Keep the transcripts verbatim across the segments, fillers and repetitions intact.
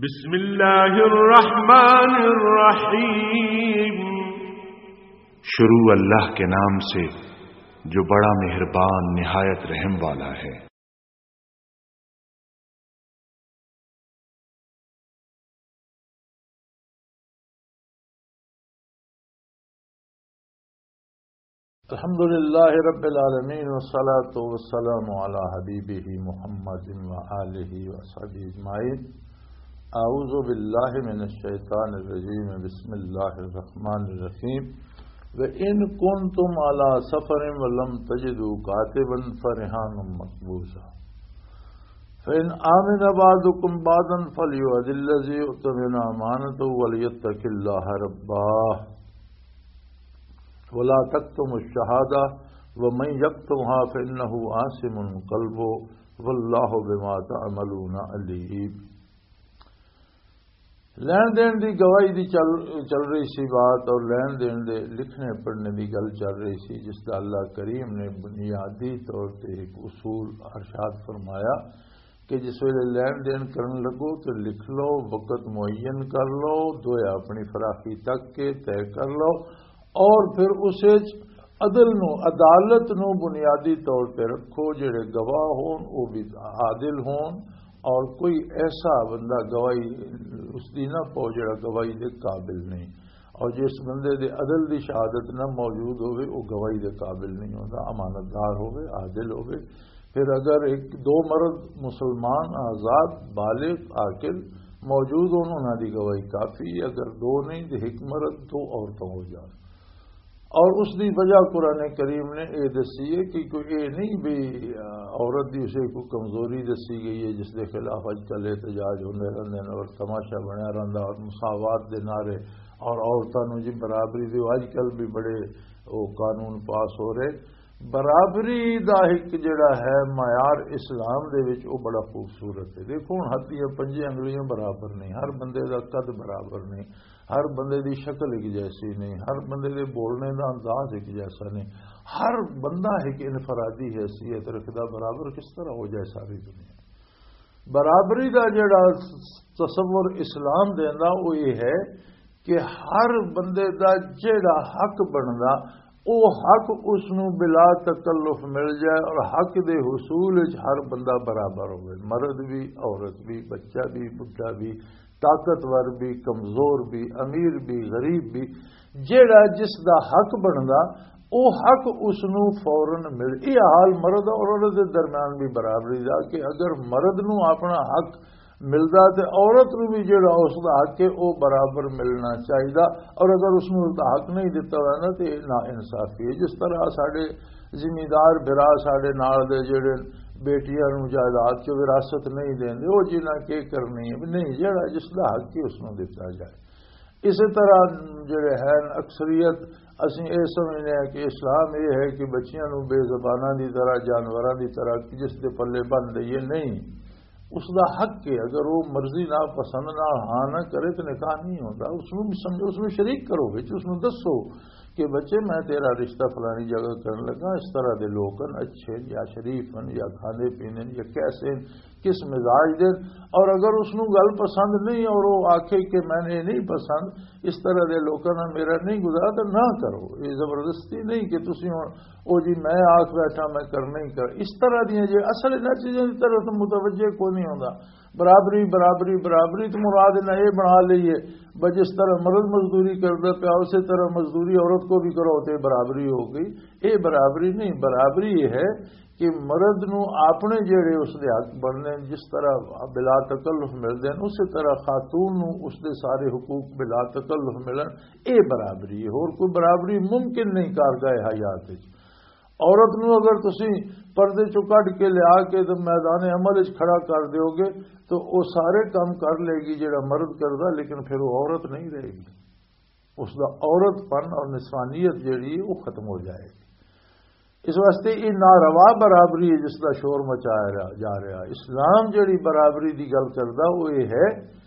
بسم اللہ الرحمن الرحیم۔ شروع اللہ کے نام سے جو بڑا مہربان نہایت رحم والا ہے۔ الحمد لله رب العالمين، والصلاة والسلام على حبيبه محمد وآله وصحبه أجمعين۔ أعوذ بالله من الشيطان الرجيم، بسم الله الرحمن الرحيم۔ وإن كنتم على سفر ولم تجدوا كاتبا فرهان مقبوضة، فإن آمن بعضكم بعضا فليؤد الذي اؤتمن أمانته وليتق الله ربه ولا تكتموا الشهادة ومن يكتمها فإنه آثم قلبه والله بما تعملون عليم۔ لین دین دی گواہی دی چل، چل رہی سی بات، اور لین دین دے لکھنے پڑھنے دی گل چل رہی سی، جس دا اللہ کریم نے بنیادی طور تے ایک اصول ارشاد فرمایا کہ جس ویلے لین دین کرن لگو تو لکھ لو، وقت معین کر لو، دویا اپنی فراخی تک کے طے کر لو، اور پھر اس وچ عدل نو، عدالت نو بنیادی طور تے رکھو، جڑے گواہ ہون، او بھی عادل ہون، اور کوئی ایسا بندہ گواہی اس دی نہ پاؤ، جڑا گواہی دے قابل نہیں، اور جس بندے دے عدل دی شہادت نہ موجود ہوئے، وہ گواہی دے قابل نہیں ہوتا، امانت دار ہوئے، عادل ہوئے۔ پھر اگر ایک دو مرد مسلمان، آزاد، بالغ، عاقل موجود ہون، انہاں دی گواہی کافی ہے۔ اگر دو نہیں تو ایک مرد، دو عورتوں ہو جان۔ اور اس دی وجہ قرآن کریم نے اے دسی ہے کہ کوئی اے نہیں بھی، آ، عورت دی اسے کوئی کمزوری دسی گئی ہے جس دے خلاف اج کل احتجاج ہوندے رہندے نے اور تماشا بنیا رہندا اور مساوات دے نعرے اور عورتاں نوں جی برابری دیو، اج کل بھی بڑے او قانون پاس ہو رہے۔ برابری دا ایک جڑا ہے معیار اسلام دے وچ، او بڑا خوبصورت ہے۔ دیکھو ہن ہتھ دیاں پنجے انگلیاں برابر نہیں، ہر بندے دا قد برابر نہیں، ہر بندے دی شکل ایک جیسی نہیں، ہر بندے دے بولنے دا انداز ایک جیسا نہیں، ہر بندہ ایک انفرادی حیثیت رکھدا، برابر کس طرح ہو جائے ساری دنیا؟ برابری دا جڑا تصور اسلام دیندا، وہ یہ ہے کہ ہر بندے دا جڑا حق بندا، او حق اس نوں بلا تکلف مل جائے اور حق دے حصول وچ ہر بندہ برابر ہوئے، مرد بھی، عورت بھی، بچہ بھی، بڈھا بھی، طاقتور بھی، کمزور بھی، امیر بھی، غریب بھی، جیڑا جس دا حق بندا، او حق اس نوں فوراً مل۔ یہ حال مرد اور عورت دے درمیان بھی برابری دا کہ اگر مرد نوں اپنا حق ملدا تے عورت نوں بھی جیڑا اس دا حق ہے، او برابر ملنا چاہیدا۔ اور اگر اس نوں اس دا حق نہیں دتا ہویا نا، تے نا انصافی ہے۔ جس طرح ساڈے زمیندار بھرا ساڈے نال دے جیڑے بیٹیاں نوں جائیداد چ وراثت نہیں دیندے، او جنہاں کی کرنی ہے، نہیں، جیڑا جس دا حق ہے، اس نوں دتا جائے۔ اسی طرح جڑے ہیں اکثریت، اسی یہ سمجھنے ہیں کہ اسلام یہ ہے کہ بچیاں نوں بے زباناں دی طرح، جانوراں دی طرح جس دے پلے بن دئیے، نہیں، اس دا حق ہے۔ اگر وہ مرضی نہ پسند نہ ہاں نہ کرے تو نکاح نہیں ہوتا۔ اس نوں بھی سمجھو، اس نوں شریک کرو، وچ اس نوں دسو کہ بچے، میں تیرا رشتہ فلانی جگہ کرن لگا، اس طرح دے لوگ ہیں، اچھے ہیں یا شریف ہیں یا کھاندے پیندے ہیں یا کیسے ہیں، کس مزاج دے۔ اور اگر اس نوں گل پسند نہیں اور وہ آکھے کہ میں نے نہیں پسند، اس طرح دے لوکاں نال میرا نہیں گزارا، تو نہ کرو۔ یہ زبردستی نہیں کہ تسی ہن او جی میں آکھ بیٹھا میں کرنا ہی کر۔ اس طرح دیاں جے اصل انہاں چیزاں دی طرف تو متوجہ کوئی نہیں ہوندا۔ برابری، برابری، برابری تو مراد انہاں یہ بنا لئی ہے، بس جس طرح مرد مزدوری کردا پیا، اسی طرح مزدوری عورت کو بھی کرو تے برابری ہو گئی۔ یہ برابری نہیں، برابری یہ ہے کہ مرد نو اپنے جڑے اس دے حق بننے، جس طرح بلا تکلف ملدے ہیں، اسی طرح خاتون نو اس دے سارے حقوق بلا تکلف ملن، اے برابری ہے۔ اور کوئی برابری ممکن نہیں کارگاہ حیات وچ۔ عورت نو اگر تسی پردے چوں کڈ کے لیا کے تے میدان عمل وچ کھڑا کر دیو گے، تو او سارے کام کر لے گی جڑا مرد کردا، لیکن پھر وہ عورت نہیں رہے گی۔ اس دا عورت پن اور نسوانیت جڑی ہے، وہ ختم ہو جائے گی۔ اس واسطے یہ ناروا برابری ہے جس دا شور مچایا رہا، جا رہا۔ اسلام جڑی برابری دی گل کردا، وہ یہ ہے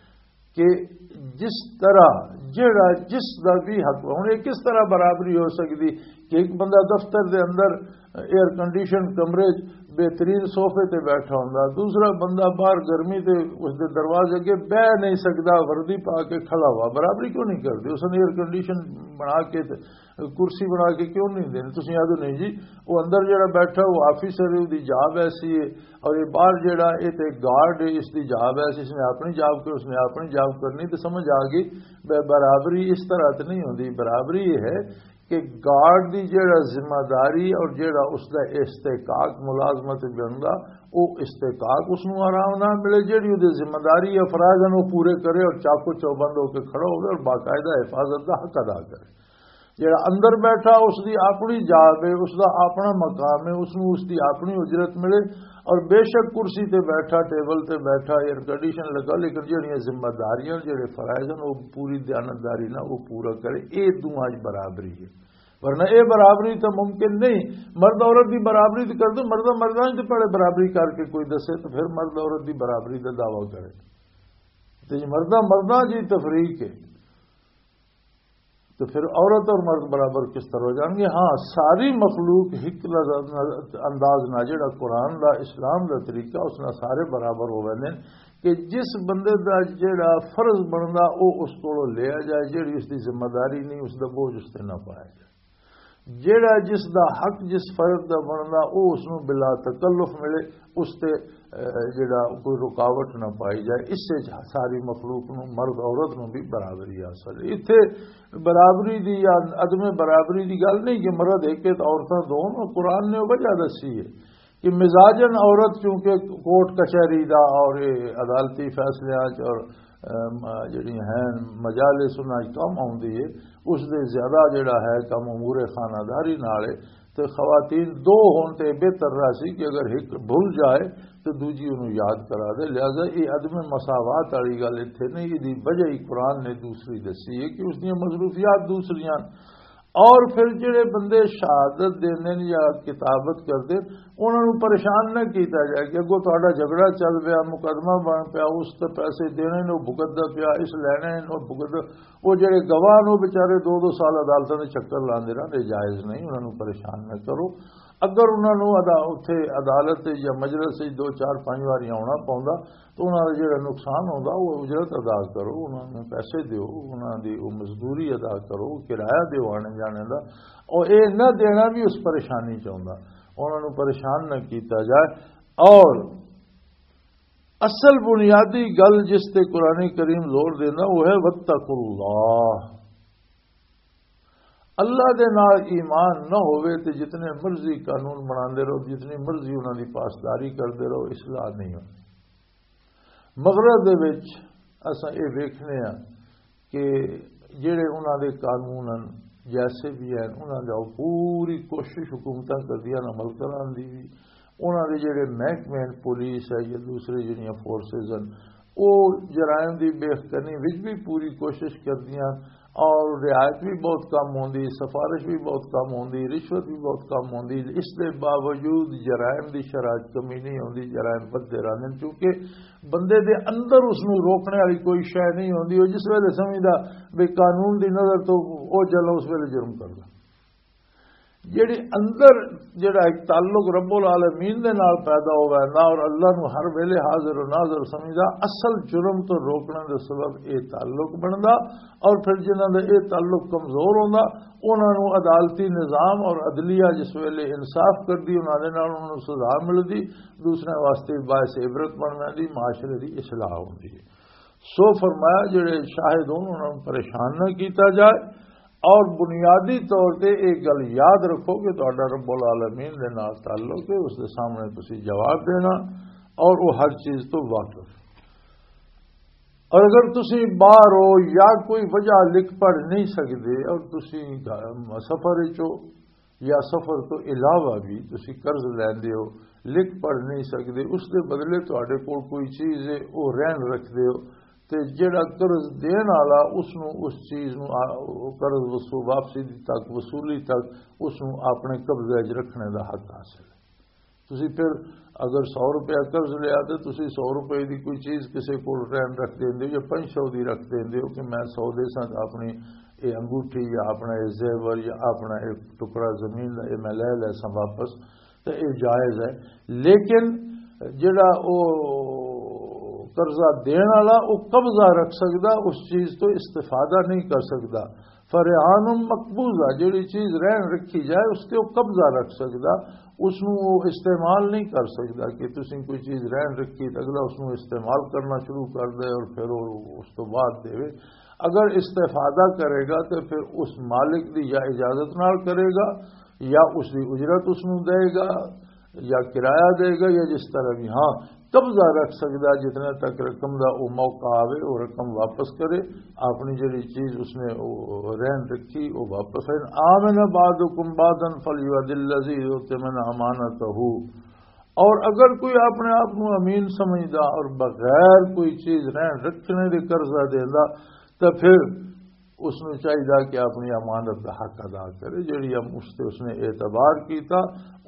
کہ جس طرح جڑا جس دا بھی حق، ہن یہ کس طرح برابری ہو سکدی کہ ایک بندہ دفتر دے اندر ایئر کنڈیشن کمرے چ بہترین صوفے تے بیٹھا ہوندا، دوسرا بندہ باہر گرمی تے اس دے دروازے اگے بہ نہیں سکدا، وردی پا کے کھڑا ہوا، برابری کیوں نہیں کردے؟ اس نے ایئر کنڈیشن بنا کے تے کرسی بنا کے کیوں نہیں دیندے؟ تسی آدھو نہیں جی، وہ اندر جڑا بیٹھا وہ آفیسر ہے، اس دی جاب ایسی ہے، اور یہ باہر جڑا یہ تے گارڈ ہے، اس دی جاب ایسی، اس نے اپنی جاب کی، اس نے اپنی جاب کرنی۔ تو سمجھ آ گئی، بے برابری اس طرح تے نہیں ہوندی۔ برابری یہ ہے کہ گارڈ دی جڑا ذمہ داری اور جڑا اس دا استحقاق ملازمت بندا، او استحقاق اس نوں آرام نہ ملے، جڑی او دی ذمہ داری افراد ہیں وہ پورے کرے اور چاقو چوبند ہو کے کھڑا ہوئے اور باقاعدہ حفاظت دا حق ادا کرے۔ جڑا اندر بیٹھا، اس دی اپنی جاب ہے، اس دا اپنا مقام ہے، اس نوں اس دی اپنی اجرت ملے، اور بے شک کرسی تے بیٹھا، ٹیبل تے بیٹھا، ایئر کنڈیشن لگا، لیکن جڑیاں ذمہ داریاں، جڑے فرائض ہیں، وہ پوری دیانتداری نال وہ پورا کرے۔ اے دوواں وچ برابری ہے، ورنہ اے برابری تو ممکن نہیں۔ مرد عورت دی برابری تو کر دو، مردہ مرداں وچ تے پہلے برابری کر کے کوئی دسے تو پھر مرد عورت دی برابری دا دعویٰ کرے۔ تے جے مرداں مرداں جی تفریق ہے، تو پھر عورت اور مرد برابر کس طرح ہو جان گے؟ ہاں، ساری مخلوق ایک لز-، انداز نہ، جڑا قرآن دا، اسلام دا طریقہ، اس نال سارے برابر ہو ویندے نے کہ جس بندے دا جڑا فرض بندا، او اس کولوں لیا جائے، جڑی اس دی ذمہ داری نہیں، اس دا بوجھ اس تے نہ پایا جائے۔ جڑا جس دا حق، جس فرض دا بندا، او اس نوں بلا تکلف ملے، اس تے، اے، جڑا کوئی رکاوٹ نہ پائی جائے۔ اس سے ساری مخلوق نوں، مرد عورت نوں بھی برابری حاصل ہے۔ ایتھے برابری دی یا عدم برابری دی گل نہیں کہ مرد ایک ہے تے عورتاں دو۔ قرآن نے وجہ دسی ہے کہ مزاجن عورت چونکہ کورٹ کچہری دا اور یہ عدالتی فیصلیاں چ اور، ام، جڑی ہیں مجالس انہاں چ کم آوندی ہے، اس دے زیادہ جڑا ہے کم امور خانہ داری نال ہے۔ تے خواتین دو ہون تے بہتر رہسی کہ اگر ایک بھول جائے تو دوجی انہوں یاد کرا دے۔ لہذا یہ عدم مساوات والی گل اتھے نہیں، یہ دی وجہ ہی قرآن نے دوسری دسی ہے کہ اس دیاں مصروفیات دوسریاں۔ اور پھر جڑے بندے شہادت دیندے نے یا کتابت کردے، انہاں نوں پریشان نہ کیتا جائے کہ اگوں تہاڈا جھگڑا چل پیا، مقدمہ بن پیا، اس تے پیسے دینے نے، وہ بھگتدا پیا، اس لینے نے، وہ بھگتدا۔ وہ جڑے گواہ نے، وہ بیچارے دو دو سال عدالتاں دے چکر لاندے رہندے، جائز نہیں، انہاں نوں پریشان نہ کرو۔ اگر انہاں نوں ادا-، اتھے عدالت یا مجلس وچ دو چار پنج واری آونا پوندا، تو انہاں دا جڑا نقصان ہوندا، وہ اجرت ادا کرو، انہاں نوں پیسے دیو، انہاں دی وہ مزدوری ادا کرو، کرایہ دیو آنے جانے دا۔ اور اے نہ دینا بھی اس پریشانی چ ہوندا، انہاں نوں پریشان نہ کیتا جائے۔ اور اصل بنیادی گل جس تے قرآن کریم زور دینا، وہ ہے وَاتَّقُوا اللَّهَ۔ اللہ دے نال ایمان نہ ہوئے تے جتنے مرضی قانون بناندے رہو، جتنی مرضی انہاں دی پاسداری کردے رہو، اصلاح نہیں ہونی۔ مغرب دے وچ اساں اے ویکھنے ہاں کہ جڑے انہاں دے قانون ہن، جیسے بھی ہیں، انہاں دا پوری کوشش حکومتاں کردیاں عمل کران دی بھی۔ انہاں دے جڑے محکمے ہیں، پولیس ہے یا دوسرے جڑیاں فورسز ہیں، او جرائم دی بے کنی وچ بھی پوری کوشش کردیاں اور رعایت بھی بہت کم ہوندی، سفارش بھی بہت کم ہوندی، رشوت بھی بہت کم ہوندی۔ اس دے باوجود جرائم دی شرح چ کمی نہیں ہوندی، جرائم ودھدے رہندے نے، کیونکہ بندے دے اندر اس نوں روکنے والی کوئی شے نہیں ہوندی۔ او جس ویلے سمجھدا بھی قانون دی نظر تو او جل، اس ویلے جرم کردا۔ جڑی اندر جڑا ایک تعلق رب العالمین دے نال پیدا ہو ویندا اور اللہ نو ہر ویلے حاضر و ناظر سمجھدا، اصل جرم تو روکنے دے سبب اے تعلق بندا۔ اور پھر جنہاں دا اے تعلق کمزور ہوندا، انہاں نو عدالتی نظام اور عدلیہ جس ویلے انصاف کردی، انہاں دے نال انہاں نو سزا ملدی، دوسرے واسطے باعث عبرت بن ویندی، معاشرے دی اصلاح ہوندی ہے۔ سو فرمایا، جڑے شاہد ہون، انہاں نوں پریشان نہ کیتا جائے۔ اور بنیادی طور تے ایک گل یاد رکھو کہ تہاڈا رب العالمین دے نال تعلق ہے، اس دے سامنے تسی جواب دینا اور وہ ہر چیز تو واقف۔ اور اگر تسی باہر ہو یا کوئی وجہ لکھ پڑھ نہیں سکدے اور تسی گھر، سفر وچ ہو، یا سفر تو علاوہ بھی تسی قرض لیندے ہو، لکھ پڑھ نہیں سکدے، اس دے بدلے تہاڈے کول کوئی چیز ہے، او رہن رکھدے ہو، تے جیڑا قرض دین والا اس نو، اس چیز نو آ-، او قرض وصو-، واپسی دی تک، وصولی تک اس نو اپنے قبضے وچ رکھنے دا حق حاصل ہے۔ تسی پھر اگر سو روپیہ قرض لیا تے تسی سو روپے دی کوئی چیز کسے کول رہن رکھ دیندے ہو یا پنج سو دی رکھ دیندے ہو کہ میں سو دے ساں اپنی یہ انگوٹھی یا اپنا یہ زیور یا اپنا ایک ٹکڑا زمین دا، یہ میں لے لے ساں واپس، تے یہ جائز ہے۔ لیکن جڑا او قرضہ دین والا، او قبضہ رکھ سکدا، اس چیز تو استفادہ نہیں کر سکدا۔ فرعان مقبوضہ، جڑی چیز رہن رکھی جائے، اس تے او قبضہ رکھ سکدا، اس نوں او استعمال نہیں کر سکدا کہ تسیں کوئی چیز رہن رکھی تے اگلا اس نوں استعمال کرنا شروع کر دے اور پھر او اس تو بعد دے۔ اگر استفادہ کرے گا تو پھر اس مالک دی یا اجازت نال کرے گا، یا اس دی اجرت اس نوں دے گا، یا کرایہ دے گا، یا جس طرح بھی۔ ہاں، قبضہ رکھ سکدا جتنے تک رقم دا او موقع آوے، او رقم واپس کرے، اپنی جڑی چیز اس نے او رہن رکھی، او واپس ہے۔ آمن بعضکم بعضا فلیؤد الذی اؤتمن امانتہ۔ اور اگر کوئی اپنے آپ نو امین سمجھدا اور بغیر کوئی چیز رہن رکھنے دے قرضہ دیندا، تو پھر اس نوں چاہیدا کہ اپنی امانت دا حق ادا کرے، جڑی ہم اس تے اس نے اعتبار کیتا،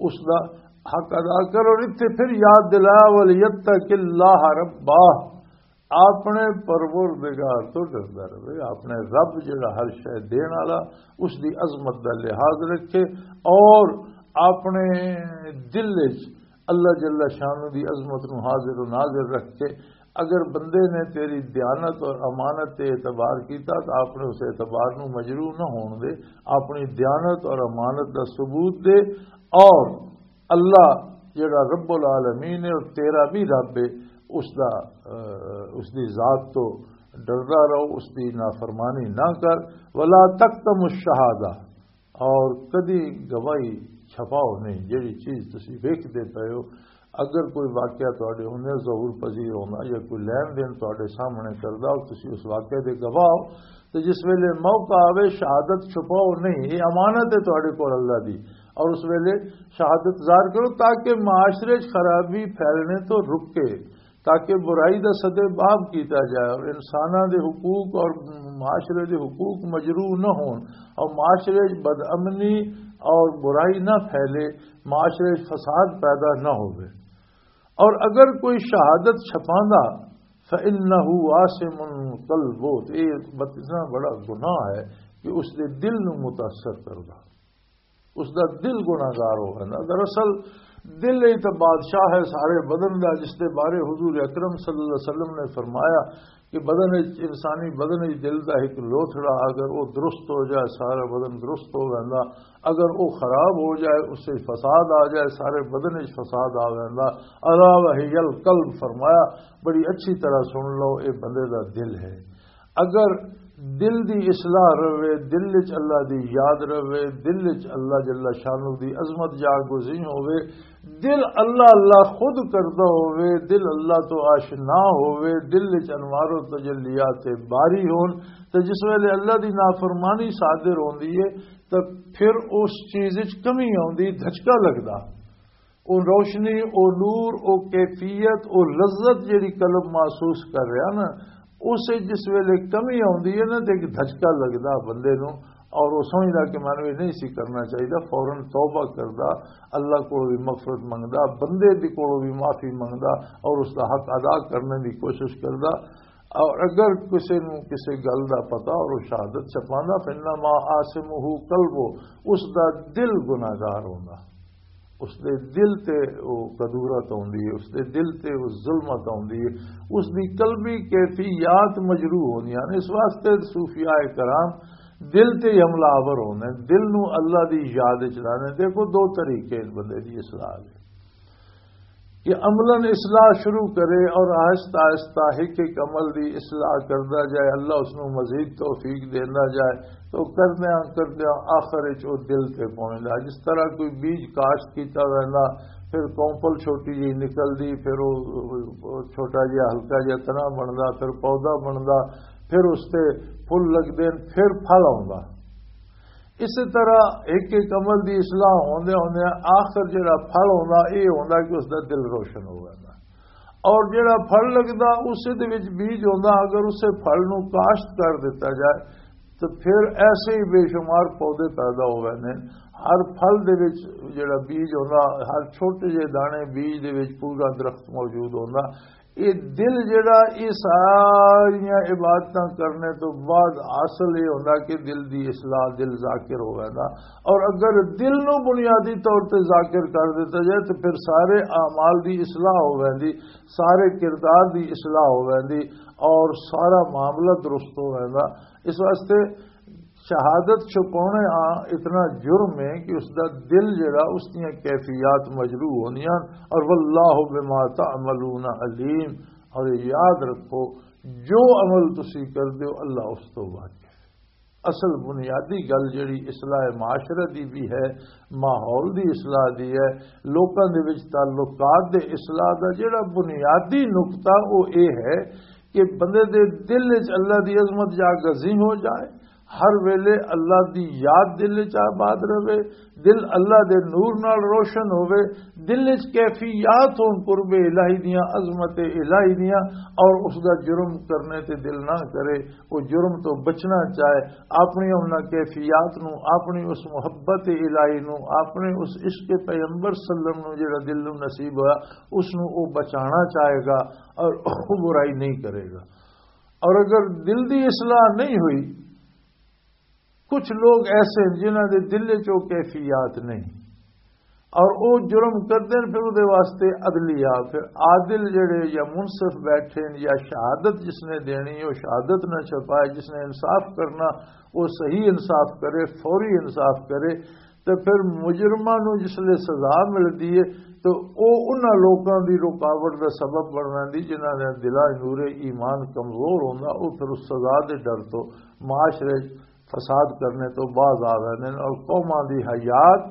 اس دا حق ادا کرے۔ اور اتھے پھر یاد دلایا، "وَلْيَتَّقِ اللَّهَ رَبَّهُ"، اپنے پروردگار تو ڈردا رہے، اپنے رب جڑا ہر شے دین والا، اس دی عظمت دا لحاظ رکھے اور اپنے دل وچ اللہ جل شانہ دی عظمت نو حاضر و ناظر رکھ کے، اگر بندے نے تیری دیانت اور امانت تے اعتبار کیتا تو آپ نے اس اعتبار نو مجروح نہ ہون دے، اپنی دیانت اور امانت دا ثبوت دے، اور اللہ جڑا رب العالمین ہے اور تیرا بھی رب ہے، اس دا، اہ، اس دی ذات تو ڈردا رہو، اس دی نافرمانی نہ کر۔ ولا تکتم الشہادہ، اور کدی گواہی چھپاؤ نہیں۔ جڑی چیز تسی ویکھدے پئے ہو، اگر کوئی واقعہ تواڈے ہنے ظہور پذیر ہوندا یا کوئی لین دین تواڈے سامنے کردا، اور تسی اس واقعے دے گواہ ہو، تو جس ویلے موقع آوے، شہادت چھپاؤ نہیں، یہ امانت ہے تواڈے کول اللہ دی۔ اور اس ویلے شہادت ظاہر کرو تاکہ معاشرے 'چ خرابی پھیلنے تو رکے، تاکہ برائی دا سدے باب کیتا جائے اور انساناں دے حقوق اور معاشرے دے حقوق مجروح نہ ہون اور معاشرے 'چ بدامنی اور برائی نہ پھیلے، معاشرے 'چ فساد پیدا نہ ہوئے۔ اور اگر کوئی شہادت چھپاندا، فَإِنَّهُ آثِمٌ قَلْبُهُ، تو یہ اتنا بڑا گناہ ہے کہ اس دے دل نو متاثر کردا، اس دا دل گناہگار ہو گیا۔ دراصل دل ہی تو بادشاہ ہے سارے بدن دا، جس دے بارے حضور اکرم صلی اللہ علیہ وسلم نے فرمایا کہ بدن وچ، انسانی بدن وچ دل دا ایک لوتھڑا اگر وہ درست ہو جائے، سارا بدن درست ہو گیا۔ اگر وہ خراب ہو جائے، اس سے فساد آ جائے، سارے بدن وچ فساد آ گیا۔ الا وہی القلب، فرمایا، بڑی اچھی طرح سن لو، اے بندے دا دل ہے۔ اگر دل دی اصلاح رہے، دل وچ اللہ دی یاد رہے، دل وچ اللہ جل شانہ دی عظمت جاگوزی ہوے، دل اللہ اللہ خود کردا ہوے، دل اللہ تو آشنا ہوے، دل وچ انوار و تجلیات باری ہون، تے جس ویلے اللہ دی نافرمانی صادر ہوندی ہے، تے پھر اس چیز وچ کمی آوندی، دھچکا لگدا۔ او روشنی، او نور، او کیفیت، او لذت جڑی قلب محسوس کر رہا نا، اس وچ جس ویلے کمی آوندی ہے نا، تے ایک دھچکا لگدا بندے نو، اور وہ سمجھدا کہ مینوں یہ نہیں سی کرنا چاہیے۔ فوراً توبہ کردا، اللہ کو بھی مغفرت منگدا، بندے دی کو بھی معافی منگدا، اور اس دا حق ادا کرنے دی کوشش کردا۔ اور اگر کسے نو کسے گل دا پتا اور وہ شہادت چھپاندا، فإنما آثمہ قلبہ، اس دا دل گناہگار ہوندا، اس دے دل تے وہ کدورت ہوندی ہے، اس دے دل تے وہ ظلمت ہوندی ہے، اس دی قلبی کیفیات مجروح ہوندیاں نے۔ اس واسطے صوفیاء کرام دل تے ہی حملہ آور ہوندے ہیں، دل نو اللہ دی یاد وچ لانے۔ دیکھو، دو طریقے ان بندے دی اصلاح دے، کہ عملاً اصلاح شروع کرے اور آہستہ آہستہ ایک ایک عمل دی اصلاح کردا جائے، اللہ اس نو مزید توفیق دیندا جائے، تو کردیاں کردیاں آخر وچ او دل تے پہنچدا۔ جس طرح کوئی بیج کاشت کیتا ویندا، پھر کونپل چھوٹی جی نکلدی، پھر او چھوٹا جہا ہلکا جہا تنا بندا، پھر پودا بندا، پھر اس تے پھل لگدے نے، پھر پھل آوندا۔ اسی طرح ایک ایک عمل دی اصلاح ہوندے ہوندے آخر جڑا پھل ہوندا، اے ہوندا کہ اس دا دل روشن ہو جاندا۔ اور جڑا پھل لگدا، اسے دے وچ بیج ہوندا، اگر اسے پھل نو کاشت کر دتا جائے تو پھر ایسے ہی بے شمار پودے پیدا ہو جاندے نے۔ ہر پھل دے وچ جڑا بیج ہوندا، ہر چھوٹے جے دانے بیج دے وچ پورا درخت موجود ہوندا۔ یہ دل جڑا، یہ ساریاں عبادتاں کرنے تو بعد اصل یہ ہوندا کہ دل دی اصلاح، دل ذاکر ہو ویندا۔ اور اگر دل نو بنیادی طور تے ذاکر کر دیتا جائے تو پھر سارے اعمال دی اصلاح ہو ویندی، سارے کردار دی اصلاح ہو ویندی اور سارا معاملہ درست ہو ویندا۔ اس واسطے شہادت چھپانے آ اتنا جرم ہے کہ اس دا دل جڑا، اس دیاں کیفیات مجروح ہوندیاں۔ اور واللہ بما تعملون علیم، اور یہ یاد رکھو، جو عمل تسی کردے ہو، اللہ اس تو واقف ہے۔ اصل بنیادی گل جڑی اصلاح معاشرہ دی بھی ہے، ماحول دی اصلاح دی ہے، لوکاں دے وچ تعلقات دے اصلاح دا جڑا بنیادی نقطہ، وہ یہ ہے کہ بندے دے دل وچ اللہ دی عظمت جا گزی ہو جائے، ہر ویلے اللہ دی یاد دل وچ آباد رہے، دل اللہ دے نور نال روشن ہوئے، دل وچ کیفیات ہون قرب الہی دیاں، عظمت الہی دیاں، اور اس دا جرم کرنے تے دل نہ کرے، وہ جرم تو بچنا چاہے، اپنی انہاں کیفیات نو، اپنی اس محبت الہی نو، اپنے اس عشق پیغمبر صلی اللہ علیہ وسلم نو جڑا دل نو نصیب ہویا، اس نو وہ بچانا چاہے گا اور وہ برائی نہیں کرے گا۔ اور اگر دل دی اصلاح نہیں ہوئی، کچھ لوگ ایسے ہیں جنہاں دے دل وچ وہ کیفیات نہیں اور وہ جرم کردے ہیں، پھر وہ دے واسطے عدلیہ، پھر عادل جڑے یا منصف بیٹھے ہیں یا شہادت جس نے دینی ہے، وہ شہادت نہ چھپائے، جس نے انصاف کرنا وہ صحیح انصاف کرے، فوری انصاف کرے۔ تے پھر مجرماں نوں جس لے سزا ملدی ہے، تے او انہاں لوکاں دی رکاوٹ دا سبب بن ویندی جنہاں دے دلاں نور ایمان کمزور ہوندا، او پھر اس سزا دے ڈر تو معاشرے 'چ فساد کرنے تو باز آ ویندے نے اور قوماں دی حیات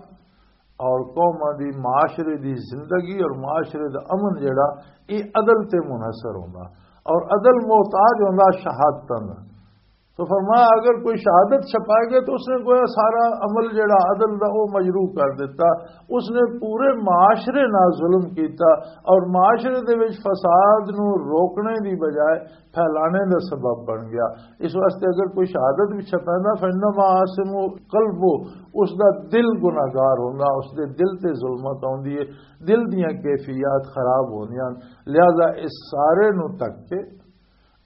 اور قوماں دی معاشرے دی زندگی اور معاشرے دا امن جڑا، اے عدل تے منحصر ہوندا اور عدل محتاج ہوندا شہادتاں دا۔ تو فرمایا، اگر کوئی شہادت چھپائے گا تو اس نے گویا سارا عمل جڑا عدل دا، وہ مجروح کر دیتا۔ اس نے پورے معاشرے نال ظلم کیتا اور معاشرے دے وچ فساد نو روکنے دی بجائے پھیلانے دا سبب بن گیا۔ اس واسطے اگر کوئی شہادت بھی چھپائے نا، فإنما آثم قلبه، اس دا دل گناہگار ہوندا، اس دے دل تے ظلمت آوندی ہے، دل دیاں کیفیات خراب ہوندیاں۔ لہذا اس سارے نو تک کے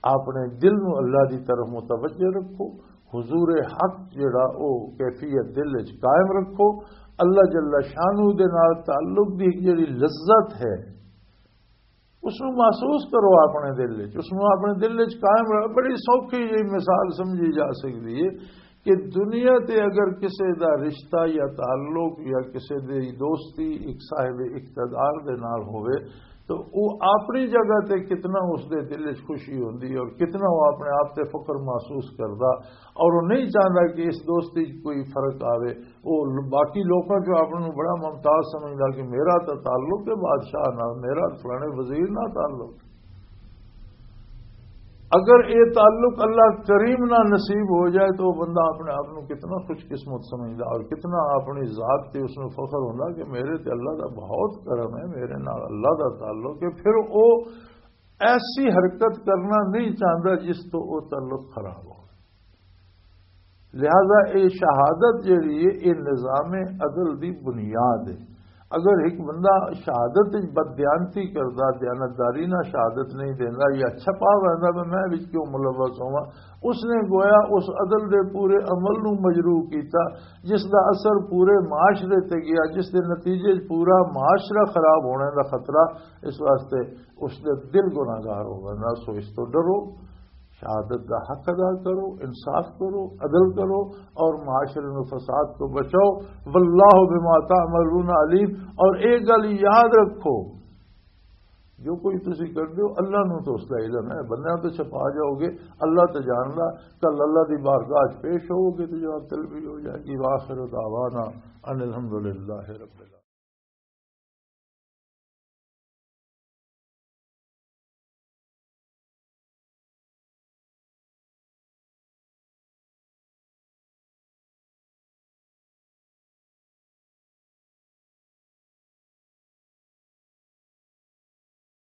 اپنے دل نو اللہ دی طرف متوجہ رکھو، حضور حق جڑا او کیفیت دل وچ قائم رکھو۔ اللہ جل شانہ دے نال تعلق دی ایک جڑی لذت ہے، اس نو محسوس کرو اپنے دل وچ، اس نو اپنے دل وچ قائم رکھو۔ بڑی سوکھی جی مثال سمجھی جا سکدی ہے کہ دنیا تے اگر کسے دا رشتہ یا تعلق یا کسے دی دوستی ایک صاحب اقتدار دے نال ہوئے، تو وہ اپنی جگہ تے کتنا اس دے دل وچ خوشی ہوندی ہے اور کتنا وہ اپنے آپ تے فخر محسوس کردا اور وہ نہیں چاہندا کہ اس دوستی 'چ کوئی فرق آوے۔ وہ ل-، باقی لوکاں چوں اپنے نوں بڑا ممتاز سمجھدا کہ میرا تو تعلق ہے بادشاہ نال، میرا فلانے وزیر نال تعلق۔ اگر یہ تعلق اللہ کریم نال نصیب ہو جائے تو وہ بندہ اپنے آپ نوں کتنا خوش قسمت سمجھدا اور کتنا اپنی ذات تے اس نوں فخر ہوندا کہ میرے تے اللہ دا بہت کرم ہے، میرے نال اللہ دا تعلق ہے۔ پھر وہ ایسی حرکت کرنا نہیں چاہتا جس تو وہ تعلق خراب ہو۔ لہذا یہ شہادت جڑی ہے، یہ نظام عدل دی بنیاد ہے۔ اگر ایک بندہ شہادت وچ بددیانتی کردا، دیانتداری نال شہادت نہیں دیندا یا چھپا ویندا، میں، میں وچ کیوں ملوث ہوواں، اس نے گویا اس عدل دے پورے عمل نو مجروح کیتا، جس دا اثر پورے معاشرے تے گیا، جس دے نتیجے 'چ پورا معاشرہ خراب ہونے دا خطرہ۔ اس واسطے اس دے دل گناہگار ہو گئے۔ سو اس تو ڈرو، شہادت دا حق ادا کرو، انصاف کرو، عدل کرو اور معاشرے نو فساد تو بچاؤ۔ واللہ بما تعملون علیم۔ اور ایک گل یاد رکھو، جو کوئی تسی کر دیو، اللہ نو تو اس دا علم ہے، بندیاں تو چھپا جاؤ گے، اللہ تو جاندا۔ کل اللہ دی بارگاہ 'چ پیش ہوو گے تو جواب طلبی ہو جائے گی۔ وآخر دعوانا ان الحمدللہ رب العالمین۔